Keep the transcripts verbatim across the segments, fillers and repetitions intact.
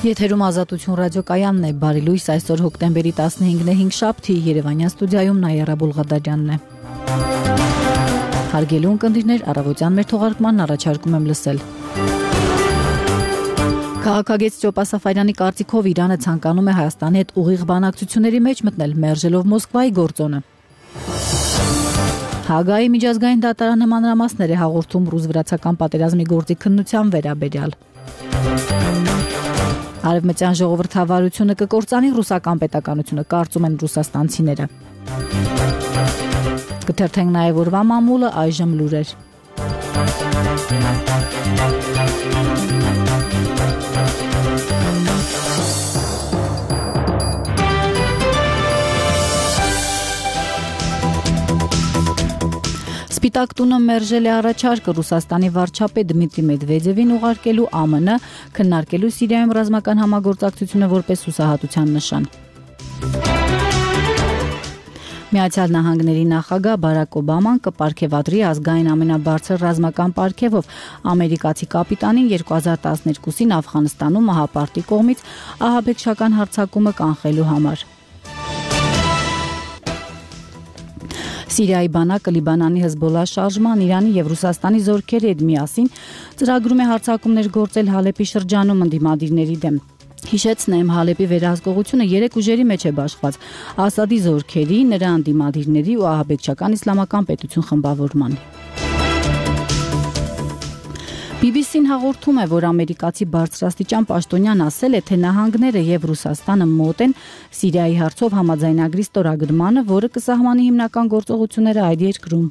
Եթերում Ազատություն ռադիոկայանն է, բարի լույս, այսօր հոկտեմբերի տասնհինգն է, հինգշաբթի, Երևանյան ստուդիայում Նայերա Բուլղադարյանն է։ Հարգելի ունկնդիրներ, առավոտյան մեր թողարկմանն առաջարկում եմ լսել։ Քաղաքագետ Ստյոպա Սաֆարյանի կարծիքով Իրանը ցանկանում է Հայաստանի հետ ուղիղ բանակցությունների մեջ մտնել, մերժելով Մոսկվայի գործոնը։ Հաագայի միջազգային դատարանը մանրամասներ է հաղորդում ռուս-վրացական պատերազմի գործի քննության վերաբերյալ։ Արևմտյան ժողովրդավարությունը կկործանի ռուսական պետականությունը, կարծում են ռուսաստանցիները։ Կթերթենք նաև օրվա մամուլը, այժմ լուրեր։ Սպիտակ տունը մերժել է առաջարկը Ռուսաստանի վարչապետ Դմիտրի Մեդվեդևին ուղարկելու ԱՄՆ քննարկելու Սիրիայում ռազմական համագործակցությունը որպես հուսահատության նշան։ Միացյալ Նահանգների նախագահ Բարակ Օբաման կպարգևատրի ազգային ամենաբարձր ռազմական պարգևով ամերիկացի կապիտանին երկու հազար տասներկուսին Աֆղանստանում ահապարտի կողմից ահաբեկչական հարձակումը կանխելու համար։ Սիրիայի բանակը Լիբանանի Հեզբոլլահ շարժման, Իրանի եւ Ռուսաստանի զորքերի հետ միասին ծրագրում է հարձակումներ գործել Հալեպի շրջանում ընդդիմադիրների դեմ։ Հիշեցնեմ, Հալեպի վերահսկողությունը երեք ուժերի մեջ է բաշխված՝ Ասադի զորքերի, նրա ընդդիմադիրների ու ահաբեկչական իսլամական պետություն խմբավորման։ բի բի սին հաղորդում է, որ ամերիկացի բարձրաստիճան պաշտոնյան ասել է, թե նահանգները եւ Ռուսաստանը մոտ են Սիրիայի հարցով համաձայնագրի ստորագրմանը, որը կսահմանի հիմնական գործողությունները այդ երկրում։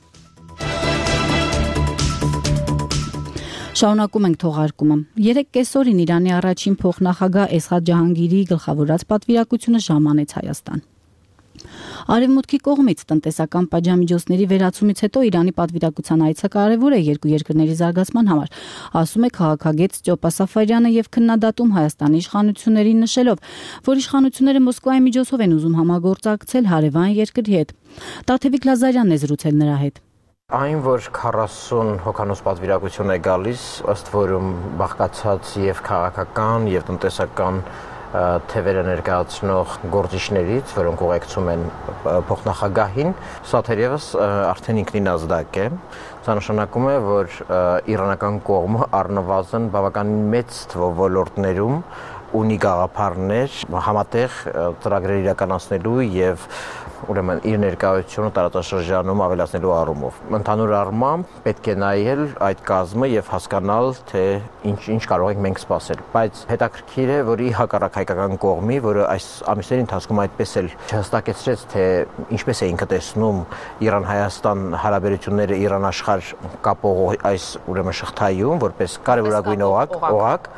Շարունակում ենք թողարկումը։ Երեք կեսօրին Իրանի առաջին փոխնախագահ Էսղաթ Ջահանգիրիի գլխավորած պատվիրակությունը ժամանեց Հայաստան։ Արևմուտքի կողմից տնտեսական պատժամիջոցների վերացումից հետո Իրանի պատվիրակության այցը կարևոր է երկու երկրների զարգացման համար, ասում է քաղաքագետ Ստյոպա Սաֆարյանը եւ քննադատում Հայաստանի իշխանություններին, նշելով, որ իշխանությունները Մոսկվայի միջոցով են ուզում համագործակցել հարևան երկրի հետ։ Տաթևիկ Լազարյանն է զրուցել նրա հետ։ Այն, որ քառասուն հոգանոց պատվիրակություն է գալիս, ըստ որում բաղկացած եւ քաղաքական եւ տնտեսական թևերը ներկայացնող գործիչներից, որոնք ուղեկցում են փոխնախագահին, սա թերևս արդեն ինքնին ազդակ է։ Սա նշանակում է, որ իրանական կողմը առնվազն բավականին մեծ թվով ոլորտներում ունի գաղափարներ համատեղ ծրագրեր իրականացնելու եւ ուրեմն իր ներկայությունը տարածաշրջանում ավելացնելու առումով։ Ընդհանուր առմամբ պետք է նայել այդ կազմը եւ հասկանալ, թե ինչ ինչ կարող ենք մենք սպասել։ Բայց հետաքրքիր է, որ ի հակառակ հայկական կողմի, որը այս ամիսների ընթացքում այդպես էլ չհստակեցրեց, թե ինչպես է ինքը տեսնում Իրան-Հայաստան հարաբերությունները Իրան-աշխարհ կապող այս ուրեմն շղթայում, որպես կարևորագույն օղակ, օղակ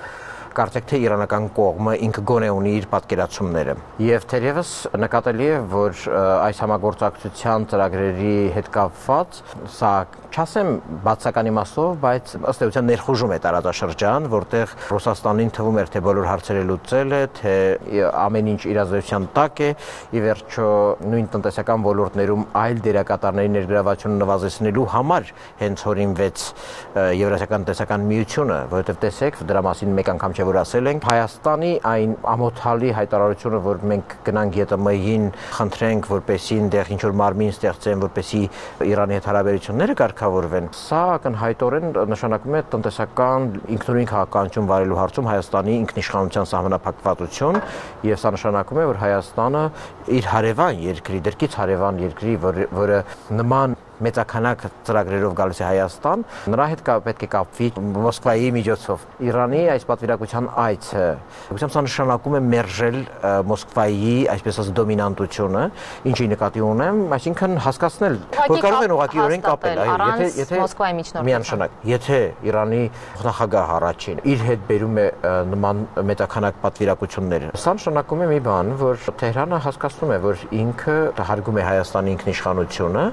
Կարծեք թե իրանական կողմը ինքը գոնե ունի իր պատկերացումները։ Եվ թերևս նկատելի է, որ այս համագործակցության ծրագրերի հետ կապված, սա չասեմ բացական իմաստով, բայց ըստ էության ներխուժում է տարածաշրջան, որտեղ Ռուսաստանին թվում էր, թե բոլոր հարցերը լուծել է, թե ամեն ինչ իրազեկության տակ է, ի վերջո նույն տնտեսական ոլորտներում այլ դերակատարների ներգրավությունը նվազեցնելու համար հենց հորինվեց Եվրասիական տնտեսական միությունը, որովհետև տեսեք, դրա մասին մեկ անգամ չէ որ ասել ենք Հայաստանի այն ամոթալի հայտարարությունը, որ մենք գնանք ԵՏՄ-ին, խնդրենք, որպեսզի այնտեղ ինչ որ մարմին ստեղծեն, որպեսզի Իրանի հետ հարաբերությունները կարգավորվեն, սա ակնհայտորեն նշանակում է տնտեսական ինքնուրույն քաղաքականություն վարելու հարցում Հայաստանի ինքնիշխանության սահմանափակվածություն, եւ սա նշանակում է, որ Հայաստանը իր հարևան երկրի, դրկից հարևան երկրի, որը նման մեծականակ ծրագրերով գալիս է Հայաստան, նրա հետ պետք է կապվի Մոսկվայի միջոցով։ Իրանի այս պատվիրակության այցը, ուսամ սա նշանակում է մերժել Մոսկվայի, այսպես ասած, դոմինանտությունը, ինչի նկատի ունեմ, այսինքն հասկացնել, որ կարող են ուղղակիորեն կապել, այո, եթե Մոսկվայի միջնորդությամբ։ Միանշանակ, եթե Իրանի նախագահ առաջին իր հետ բերում է նման մեծականակ պատվիրակություններ, սա նշանակում է մի բան, որ Թեհրանը հասկացնում է, որ ինքը հարգում է Հայաստանի ինքնիշխանությունը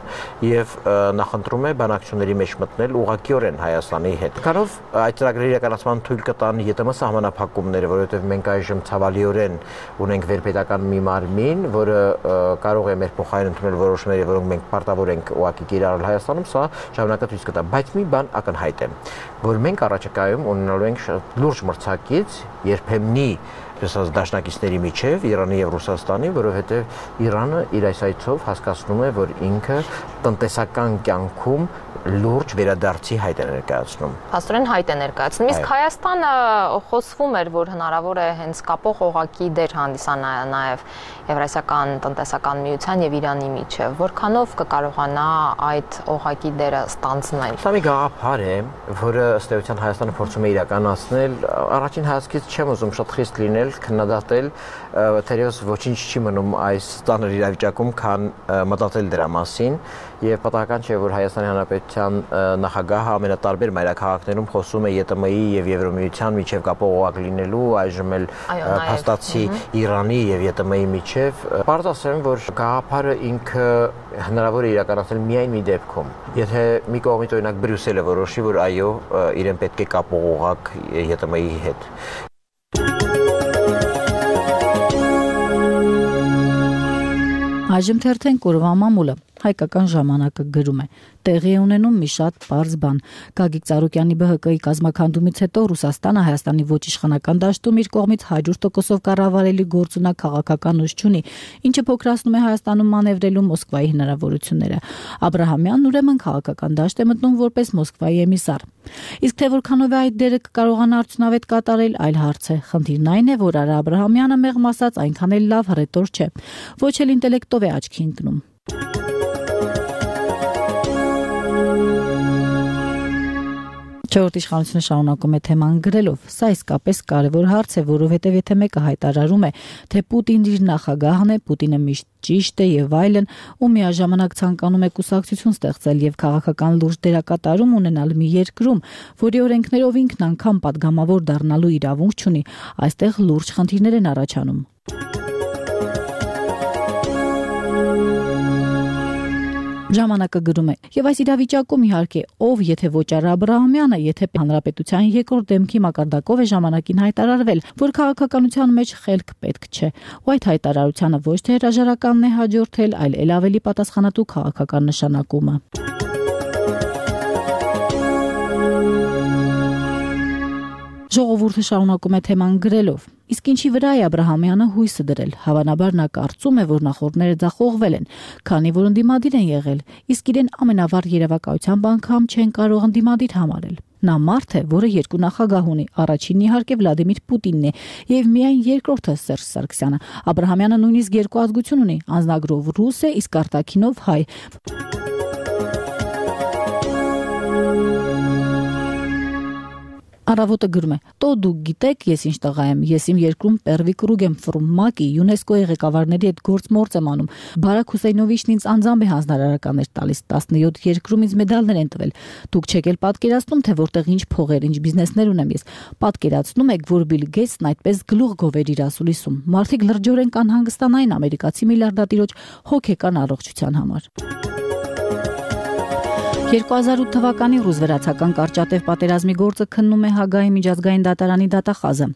եւ նախընտրում է բանակցությունների մեջ մտնել ուղղակիորեն Հայաստանի հետ։ Կարով այդ ծրագրերի իրականացման թույլ կտան ԵՏՄ սահմանափակումները, որովհետև մենք այժմ ցավալիորեն ունենք վերպետական մի մարմին, որը կարող է մեր փոխարեն ընդունել որոշումներ, որոնք մենք պարտավոր ենք ուղղակի կիրառել Հայաստանում, սա ժամանակացույց կտա։ Բայց մի բան ակնհայտ է, որ մենք առաջիկայում ունենալու ենք լուրջ մրցակից երբեմնի ասած դաշնակիցների միջև Իրանի եւ Ռուսաստանի, որովհետեւ Իրանը իր այս այցով հասկացնում է, որ ինքը տնտեսական կյանքում լուրջ վերադարձի հայտ է ներկայացնում։ Փաստորեն հայտ է ներկայացնում։ Իսկ Հայաստանը խոսվում էր, որ հնարավոր է հենց կապող օղակի դեր հանդիսանա նաև Եվրասիական տնտեսական միության եւ Իրանի միջև։ Որքանով կկարողանա այդ օղակի դերը ստանձնել։ Սա մի գաղափար է, որը ըստ էության Հայաստանը փորձում է իրականացնել։ Առաջին հայացքից չեմ ուզում շատ խիստ լինել, քննադատել, թերևս ոչինչ չի մնում այս ծանր իրավիճակում, քան մտածել դրա մասին, եւ պատահական չէ, որ Հայաստանի Հանրապետության նախագահը ամենատարբեր մայրաքաղաքներում խոսում է ԵՏՄ-ի եւ Եվրոմիության միջև կապող օղակ լինելու, այժմ էլ փաստացի Իրանի եւ ԵՏՄ-ի միջև։ Պարզ ասեմ, որ գաղափարը ինքը հնարավոր է իրականացնել միայն մի դեպքում, եթե մի կողմից օրինակ Բրյուսելը որոշի, որ այո, իրեն պետք է կապող օղակ ԵՏՄ-ի հետ։ Այժմ թերթեն կորվա մամուլը հայկական ժամանակը գրում է. տեղի է ունենում մի շատ պարզ բան։ Գագիկ Ծառուկյանի Բ Հ Կ-ի կազմաքանդումից հետո Ռուսաստանը Հայաստանի ոչ իշխանական դաշտում իր կողմից հարյուր տոկոսով կառավարելի գործունակ քաղաքական ուժ չունի, ինչը փոքրացնում է Հայաստանում մանևրելու Մոսկվայի հնարավորությունները։ Աբրահամյանն ուրեմն քաղաքական դաշտ է մտնում որպես Մոսկվայի էմիսար։ Իսկ թե որքանով է այդ դերը կկարողանա արդյունավետ կատարել, այլ հարց է։ Խնդիրն այն է, որ Արա Աբրահամյանը մեղմ ասած այնքան էլ լավ հռետոր չէ, ոչ էլ ինտելեկտով է աչքի ընկնում։ Չորրորդ իշխանությունը շարունակում է թեման գրելով. Սա իսկապես կարևոր հարց է, որովհետև եթե մեկը հայտարարում է, թե Պուտինն իր նախագահն է, Պուտինը միշտ ճիշտ է եւ այլն, ու միաժամանակ ցանկանում է կուսակցություն ստեղծել եւ քաղաքական լուրջ դերակատարում ունենալ մի երկրում, որի օրենքներով ինքն անգամ падգամավոր դառնալու իրավունք չունի, այստեղ լուրջ խնդիրներ են առաջանում։ Ժամանակը գրում է. եւ այս իրավիճակում իհարկե ով եթե ոչ Արա Աբրահամյանը, եթե հանրապետության երկրորդ դեմքի մակարդակով է ժամանակին հայտարարվել, որ քաղաքականության մեջ խելք պետք չէ, ու այդ հայտարարությանը ոչ թե հրաժարականն է հաջորդել, այլ ել ավելի պատասխանատու քաղաքական նշանակումը։ Ժողովուրդը շարունակում է թեման գրելով. իսկ ինչի վրա է Աբրահամյանը հույսը դրել, հավանաբար նա կարծում է, որ նախորդները ձախողվել են, քանի որ ընդդիմադիր են եղել, իսկ իրեն ամենավառ երևակայությամբ անգամ չեն կարող ընդդիմադիր համարել։ Նա մարդ է, որը երկու նախագահ ունի, առաջինն իհարկե Վլադիմիր Պուտինն է, եւ միայն երկրորդը Սերժ Սարգսյանը։ Աբրահամյանը նույնիսկ երկու ազգություն ունի, անձնագրով ռուս է, իսկ արտաքինով հայ։ Առավոտը գրում է. «Տո դուք գիտեք, ես ինչ տղա եմ, ես իմ երկրում Պերվի կրուգ եմ ֆռում, ՄԱԿ-ի, ՅՈՒՆԵՍԿՕ-ի ղեկավարների հետ գործ-մործ եմ անում։ Բարակ Հուսեյնովիչն ինձ անձամբ է հանձնարարականներ տալիս, տասնյոթ երկրում ինձ մեդալներ են տվել։ Դուք չեք էլ պատկերացնում, թե որտեղ ինչ փողեր, ինչ բիզնեսներ ունեմ ես։ Պատկերացնում եք, որ Բիլ Գեյթսն այդպես գլուխ գովեր իր ասուլիսում։ Մարդիկ լրջորեն կանհանգստանային ամերիկացի միլիարդատիրոջ հոգեկան առողջության համար»։ երկու հազար ութ թվականի ռուզվերացական կարճատև պատերազմի գործը քննում է Հագայի միջազգային դատարանի դատախազը։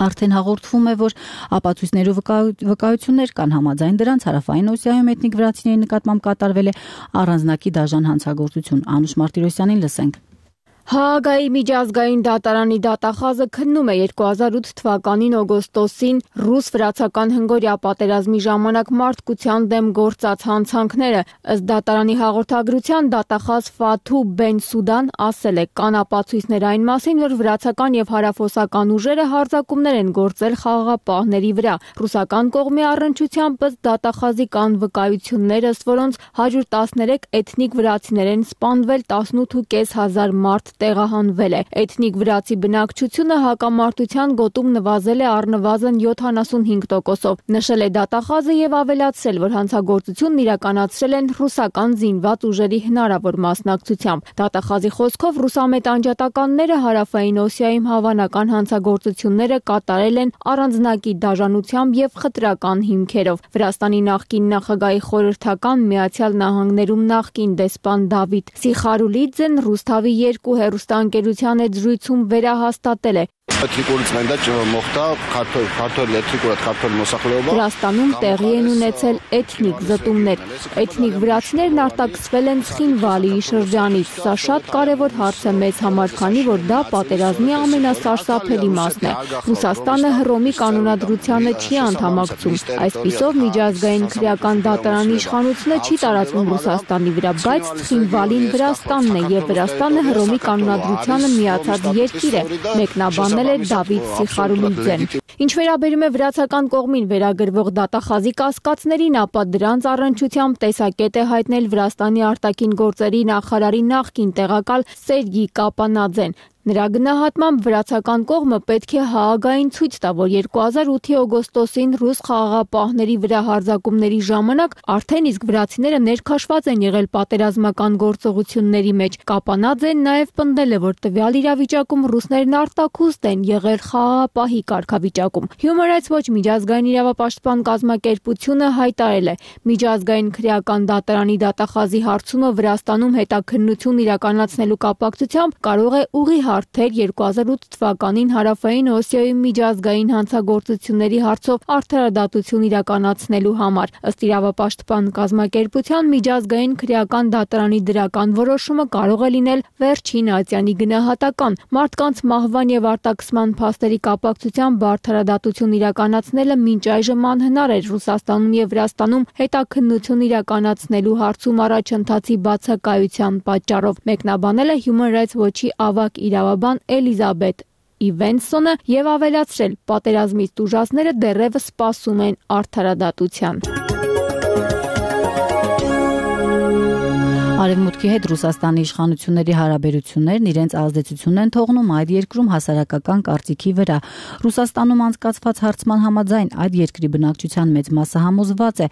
Արդեն հաղորդվում է, որ ապացույցներով վկայություններ կան, համաձայն դրանց Հարավային Օսիայում էթնիկ վրացիների նկատմամբ կատարվել է առանձնակի դաժան հանցագործություն։ Անուշ Մարտիրոսյանին լսենք։ Հաագայի միջազգային դատարանի դատախազը քննում է երկու հազար ութ թվականին օգոստոսին ռուս-վրացական հնգօրյա պատերազմի ժամանակ մարդկության դեմ գործած հանցանքները։ Ըստ դատարանի հաղորդագրության դատախազ Ֆաթու Բեն-Սուդան ասել է. կան ապացույցներ այն մասին, որ վրացական եւ հարավօսական ուժերը հարձակումներ են գործել խաղաղապահների վրա։ Ռուսական կողմի առնչությամբ ըստ դատախազի կան վկայություններ, ըստ որոնց հարյուր տասներեք էթնիկ վրացիներ են սպանվել, տասնութ հազար պինսյոն մարդ տեղահանվել է։ Էթնիկ վրացի բնակչությունը հակամարտության գոտում նվազել է առնվազն յոթանասունհինգ տոկոսով։ Նշել է դատախազը եւ ավելացրել, որ հանցագործությունն իրականացրել են ռուսական զինված ուժերի հնարավոր մասնակցությամբ։ Դատախազի խոսքով ռուսամետ անջատականները Հարավային Օսիայում հավանական հանցագործությունները կատարել են առանձնակի դաժանությամբ եւ խտրական հիմքերով։ Վրաստանի նախկին նախագահի խորհրդական Միացյալ Նահանգներում նախկին դեսպան Դավիթ Սիխարուլիձեն Ռուսթավի երկու հեռուստաընկերության հետ զրույցում վերահաստատել է. Վրաստանում տեղի են ունեցել էթնիկ զտումներ։ Էթնիկ վրացիներն արտաքսվել են Ցխինվալիի շրջանից։ Սա շատ կարևոր հարց է մեզ համար, քանի որ դա պատերազմի ամենասարսափելի մասն է։ Ռուսաստանը Հռոմի կանոնադրությանը չի անդամակցում։ Այսպիսով միջազգային քրեական դատարանի իշխանությունը չի տարածվում Ռուսաստանի վրա, բայց Ցխինվալին Վրաստանն է եւ Վրաստանը Հռոմի կանոնադրությանը միացած երկիր է, մեկնաբանել է Դավիթ Սիխարուլիձեն։ Ինչ վերաբերում է վրացական կողմին վերագրվող դատախազի կասկածներին, ապա դրանց առնչությամբ տեսակետ է հայտնել Վրաստանի արտաքին գործերի նախարարի նախկին տեղակալ Սերգի Կապանաձեն։ Նրա գնահատմամբ վրացական կողմը պետք է Հաագային ցույց տա, որ երկու հազար ութի օգոստոսին ռուս խաղաղապահների վրա հարձակումների ժամանակ արդեն իսկ վրացիները ներքաշված են եղել պատերազմական գործողությունների մեջ։ Կապանաձեն նաև պնդել է, որ տվյալ իրավիճակում ռուսներն արտաքուստ են եղել խաղաղապահի կարգավիճակում։ Human Rights Watch միջազգային իրավապաշտպան կազմակերպությունը հայտարարել է, միջազգային քրեական դատարանի դատախազի հարցումը Վրաստանում հետաքննություն իրականացնելու կապակցությամբ կարող է ուղի հարթեր երկու հազար ութ թվականին Հարավային Օսիայի միջազգային հանցագործությունների հարցով արդարադատություն իրականացնելու համար։ Ըստ իրավապաշտպան կազմակերպության միջազգային քրեական դատարանի դրական որոշումը կարող է լինել վերջին ատյանի գնահատական։ Մարդկանց մահվան եւ արտաքսման փաստերի կապակցությամբ արդարադատություն իրականացնելը մինչ այժմ անհնար էր Ռուսաստանում եւ Վրաստանում հետաքննություն իրականացնելու հարցում առաջընթացի բացակայության պատճառով, մեկնաբանել է Human Rights Watch-ի ավագ իրավաբան Էլիզաբեթ Իվենսոնը եւ ավելացրել, պատերազմից տուժածները դեռևս սպասում են արդարադատության։ Արևմուտքի հետ Ռուսաստանի իշխանությունների հարաբերություններն իրենց ազդեցությունն են թողնում այդ երկրում հասարակական կարծիքի վրա։ Ռուսաստանում անցկացված հարցման համաձայն այդ երկրի բնակչության մեծ մասը համոզված է,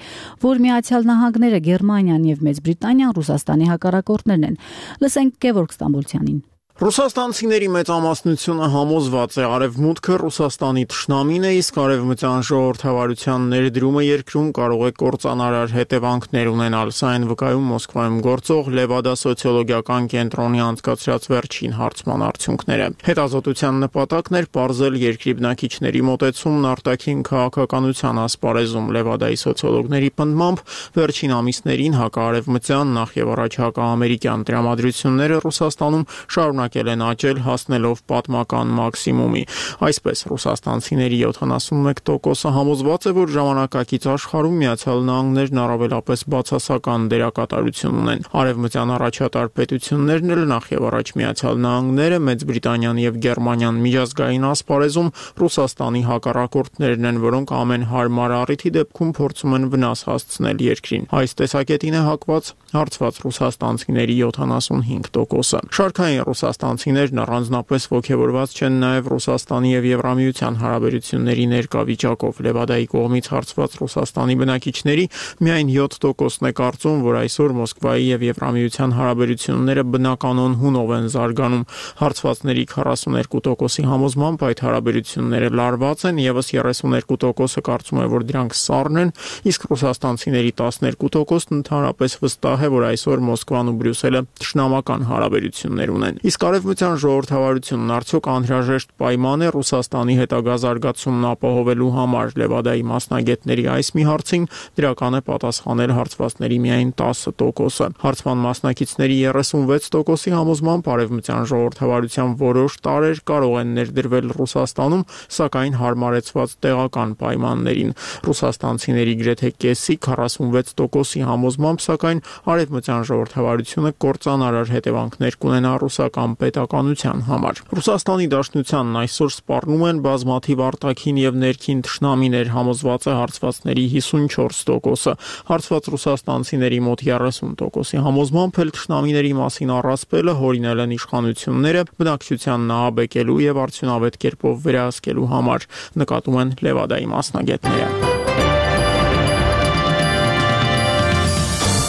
որ Միացյալ Նահանգները, Գերմանիան եւ Մեծ Բրիտանիան Ռուսաստանի հակառակորդներն են։ Լսենք Գևորգ Ստամբոլցյանին։ Ռուսաստանցիների մեծամասնությունը համոզված է Արևմուտքը Ռուսաստանի թշնամին է, իսկ արևմտյան ժողովրդավարության ներդրումը երկրում կարող է կործանարար հետևանքներ ունենալ։ Սա այն վկայում Մոսկվայում գործող Լևադա սոցիոլոգիական կենտրոնի անցկացրած վերջին հարցման արդյունքները։ Հետազոտության նպատակն էր պարզել երկրի բնակիչների մոտեցումն արտաքին քաղաքականության ասպարեզում։ Լևադայի սոցիոլոգների պնդմամբ վերջին ամիսներին հակաարևմտյան, նախ եւ առաջ հակաամերիկյան տրամադրությունները Ռուսաստանում շարունակ են աճել, հասնելով պատմական մաքսիմումի։ Այսպես ռուսաստանցիների յոթանասունմեկ տոկոսը համոզված է, որ ժամանակակից աշխարհում Միացյալ Նահանգներն առավելապես բացասական դերակատարություն ունեն։ Արևմտյան առաջատար պետություններն էլ նախ եւ առաջ Միացյալ Նահանգները, Մեծ Բրիտանիան եւ Գերմանիան միջազգային ասպարեզում Ռուսաստանի հակառակորդներն են, որոնք ամեն հարմար առիթի դեպքում փորձում են վնաս հասցնել երկրին։ Այս տեսակետին է հակված հարցված ռուսաստանցիների յոթանասունհինգ տոկոսը։ Շարքային ռուսաստանցիներն առանձնապես ոգևորված չեն նաև Ռուսաստանի եւ Եվրամիության հարաբերությունների ներկա վիճակով։ Լևադայի կողմից հարցված Ռուսաստանի բնակիչների միայն յոթ տոկոսն է կարծում, որ այսօր Մոսկվայի եւ Եվրամիության հարաբերությունները բնականon հունով են զարգանում։ Հարցվածների քառասուներկու տոկոսի համոզմամբ այդ հարաբերությունները լարված են, եւս երեսուներկու տոկոսը կարծում է, որ դրանք սառն են, իսկ ռուսաստանցիների տասներկու տոկոսն ընդհանրապես վստահ է, որ այսօր Մոսկվան ու Բրյուսելը թշնամական հարաբերություններ ունեն։ Իսկ արևմտյան ժողովրդավարությունն արդյոք անհրաժեշտ պայման է Ռուսաստանի հետագա զարգացումն ապահովելու համար։ Լևադայի մասնագետների այս մի հարցին դրական է պատասխանել հարցվածների միայն տասը տոկոսը։ Հարցման մասնակիցների երեսունվեց տոկոսի համոզմամբ արևմտյան ժողովրդավարության որոշ տարրեր կարող են ներդրվել Ռուսաստանում, սակայն հարմարեցված տեղական պայմաններին։ Ռուսաստանցիների գրեթե կեսի քառասունվեց տոկոսի համոզմամբ, սակայն արևմտյան ժողովրդավարությունը կործանարար հետևանքներ կունենա ռուսական պետականության համար։ Ռուսաստանի Դաշնությանն այսօր սպառնում են բազմաթիվ արտաքին եւ ներքին թշնամիներ, համոզված է հարցվածների հիսունչորս տոկոսը։ Հարցված ռուսաստանցիների մոտ երեսուն տոկոսի համոզմամբ էլ թշնամիների մասին առասպելը հորինել են իշխանությունները բնակչության նահաբեկելու եւ արդյունավետ կերպով վերահսկելու համար, նկատում են Լևադայի մասնագետները։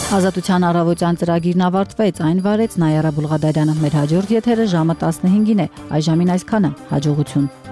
Ազատության առավոտյան ծրագիրն ավարտվեց, այն վարեց Նայարա Բուլղադարյանը։ Մեր հաջորդ եթերը ժամը տասնհինգին է։ Այժմին այսքանը, հաջողություն։